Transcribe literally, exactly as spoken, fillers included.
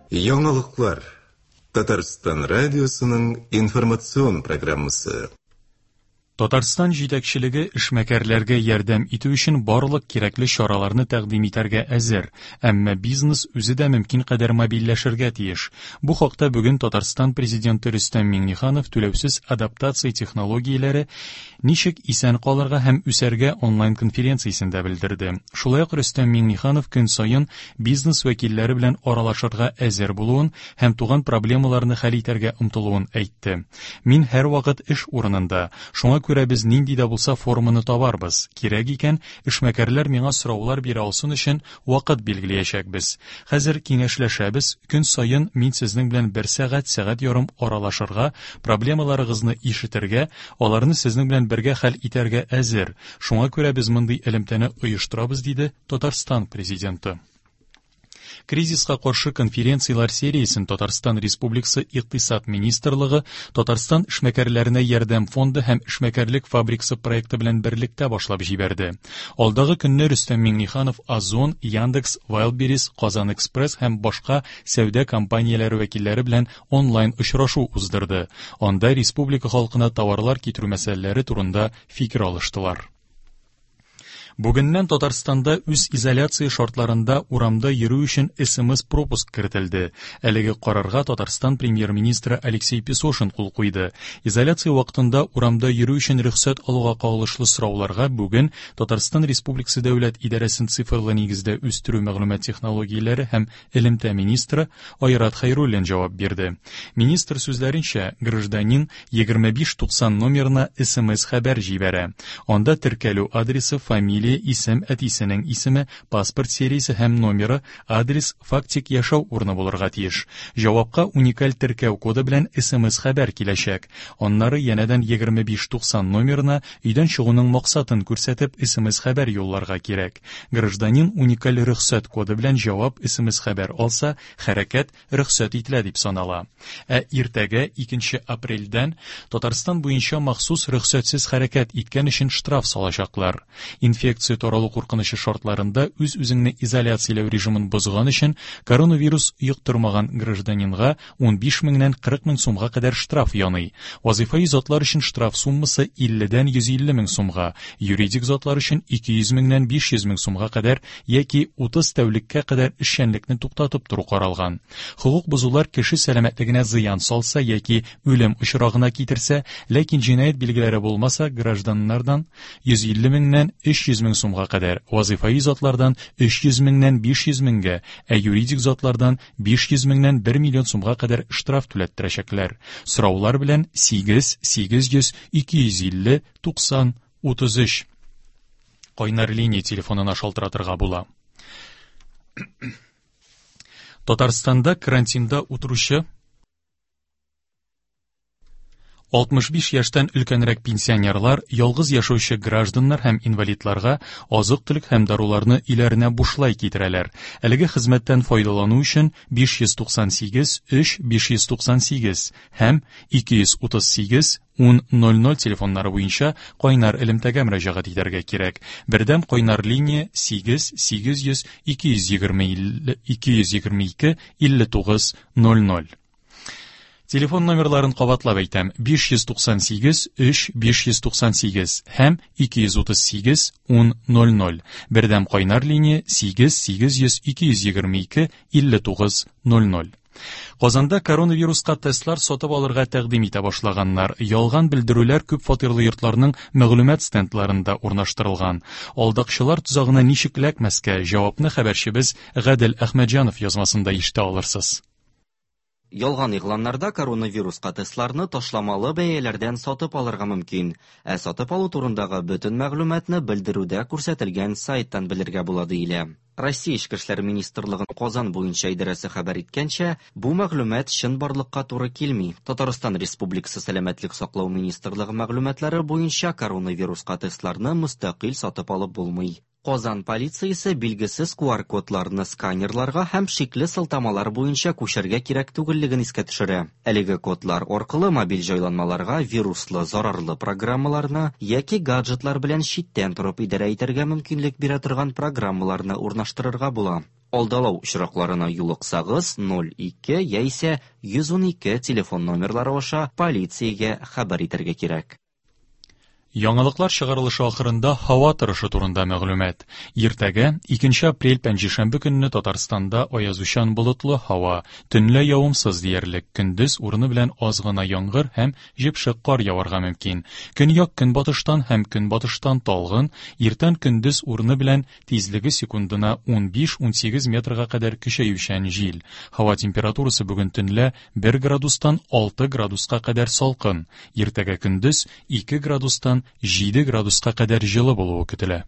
Яңалыклар. Татарстан радиосының информацион программасы. Татарстан җитәкчелеге эшмәкәрләргә ярдәм итү өчен барлык кирәкле чараларны тәкъдим итәргә әзер, әмма бизнес үзе дә мөмкин кадәр мобильләшергә тиеш. Бу хакта бүген Татарстан президенты Рөстәм Миңнеханов түләүсез адаптация технологияләре ничек исән калырга һәм үсәргә онлайн конференциясендә белдерде. Шулай ук Рөстәм Миңнеханов көн саен бизнес вәкилләре белән аралашырга әзер булуын һәм туган проблемаларны хәл итәргә омтылуын әйтте. Мин һәрвакыт эш урынында, шуңа күрә без нинди дә булса форманы табарбыз. Кирәк икән, эшмәкәрләр миңа сораулар бирә алсын өчен вакыт билгеләячәкбез. Хәзер киңәшләшәбез, көн саен мин сезнең белән бер сәгать, сәгать ярым аралашырга, проблемаларыгызны ишетергә, аларны сезнең белән бергә хәл итәргә әзер. Шуңа күрә без мондый элемтәне оештырабыз, диде Татарстан президенты. Кризиска каршы конференцияләр сериясен Татарстан Республикасы Икътисад министрлыгы, Татарстан эшмәкәрләренә ярдәм фонды һәм эшмәкәрлек фабрикасы проекты белән берлектә башлап җибәрде. Алдагы көнне Рөстәм Миңнеханов Озон, Яндекс, Wildberries, Казан Экспресс һәм башка сәүдә компанияләре вәкилләре белән онлайн очрашу уздырды. Анда республика халкына товарлар китерү мәсьәләләре турында фикер алыштылар. Бүгеннән Татарстанда үз изоляция шартларында урамда йөрү өчен эс эм эс пропуск кертелде. Әлеге карарга Татарстан премьер-министры Алексей Песошин кул куйды. Изоляция вакытында урамда йөрү өчен рөхсәт алуга кагылышлы сорауларга бүген Татарстан Республикасы Дәүләт идарәсен цифрлы нигездә үстерү мәгълүмат технологияләре һәм элемтә министры Айрат Хәйруллин җавап бирде. Министр сүзләренчә, гражданин егерме биш туксан номерына эс эм эс хәбәр җибәрә. Анда теркәлү адресы, фамилия, исем, әтисенең исеме, паспорт сериясе һәм номеры, адрес, фактик яшәү урыны булырга тиеш. Җавапка уникаль теркәү коды белән эс эм эс хәбәр киләчәк. Аннары янәдән егерме биш туксан номерына өйдән чыгуның максатын күрсәтеп эс эм эс хәбәр юлларга кирәк. Гражданин уникаль рөхсәт коды белән җавап эс эм эс хәбәр алса, хәрәкәт рөхсәт ителә дип санала. Ә иртәгә икенче апрельдән Татарстан буенча махсус рөхсәтсез хәрәкәт иткән өчен штраф салачаклар. Инфекция таралу куркынычы шартларында үз-үзеңне изоляцияләү режимын бозган өчен коронавирус йоктырмаган гражданинга ун биш меңнән кырык мең сумга кадәр штраф яный. Вазифаи затлар өчен штраф суммасы илледән йөз илле мең сумга, юридик затлар өчен ике йөз меңнән биш йөз мең сумга кадәр яки утыз тәүлеккә кадәр эшчәнлекне туктатып тору каралган. Хокук бозулар кеше сәламәтлегенә зыян салса яки үлем очрагына китерсә, ләкин җинаять билгеләре булмаса, гражданнардан йөз илле меңнән өч йөз мең сумга кадәр, вазифаи затлардан өч йөз меңнән биш йөз меңгә, ә юридик затлардан биш йөз меңнән бер миллион сумга кадәр штраф түләттерәчәкләр. Сораулар белән сигез, сигез йөз, ике йөз илле, туксан, утыз өч. Кайнар линия телефонына шалтыратырга була. Татарстанда карантинда утыручы алтмыш биш яшьтән өлкәнрәк пенсионерлар, ялгыз яшәүче гражданнар һәм инвалидларга азык-төлек һәм даруларны өйләренә бушлай китерәләр. Әлеге хезмәттән файдалану өчен биш йөз туксан сигез, өч, биш йөз туксан сигез һәм ике йөз утыз сигез, ун ноль ноль телефоннары буенча кайнар элемтәгә мөрәҗәгать итәргә кирәк. Бердәм кайнар линия сигез, сигез йөз, ике йөз егерме илле, ике йөз егерме ике, илле тугыз, ноль ноль. Телефон номерларын кабатлап әйтәм: биш йөз туксан сигез, өч, биш йөз туксан сигез һәм ике йөз утыз сигез, ун, ноль ноль. Бердәм кайнар линия сигез, сигез йөз, ике йөз егерме ике, илле тугыз, ноль ноль. Казанда коронавируска тестлар сатып алырга тәкъдим итә башлаганнар. Ялган белдерүләр күп фатирлы йортларның мәгълүмат стендларында урнаштырылган. Алдакчылар тозагына ничек эләкмәскә? Җавапны хәбәрчебез Гадел Әхмәтҗанов язмасында ишетә алырсыз. Ялган игъланнарда коронавируска тестларны ташламалы бәяләрдән сатып алырга мөмкин. Ә сатып алу турындагы бөтен мәгълүматны белдерүдә күрсәтелгән сайттан белергә була диелә. Россия Эчке эшләр министрлыгының Казан буенча идарәсе хәбәр иткәнчә, бу мәгълүмат чынбарлыкка туры килми. Татарстан Республикасы Сәламәтлек саклау министрлыгы мәгълүматлары буенча коронавируска тестларны мөстәкыйль сатып алып булмый. Казан полициясе билгесез ку ар кодларны сканерларга һәм шикле сылтамалар буенча күчәргә кирәк түгеллеген искә төшерә. Әлеге кодлар аркылы мобиль җайланмаларга вируслы зарарлы программаларны яки гаджетлар белән читтән торып идарә итәргә мөмкинлек бирә торган программаларны урнаштырырга була. Алдалау очракларына юлыксагыз, ноль ике яисә йөз унике телефон номерлары аша полициягә хәбәр итәргә кирәк. Яңалыклар чыгарылышы ахырында һава торышы турында мәгълүмат. Иртәгә, икенче апрель пәнҗешәмбе көнне Татарстанда аязучан болытлы һава, төнлә явымсыз диярлек, көндез урыны белән аз гына яңгыр һәм җепшек кар яварга мөмкин. Көньяк көнбатыштан һәм көнбатыштан талгын, иртән көндез урыны белән тизлеге секундына ун биш-ун сигез метрга кадәр көчәючән җил. Һава температурасы бүген төнлә бер градустан алты градуска кадәр салкын, иртәгә көндез ике градустан җиде градуска кадәр җылы булуы көтелә.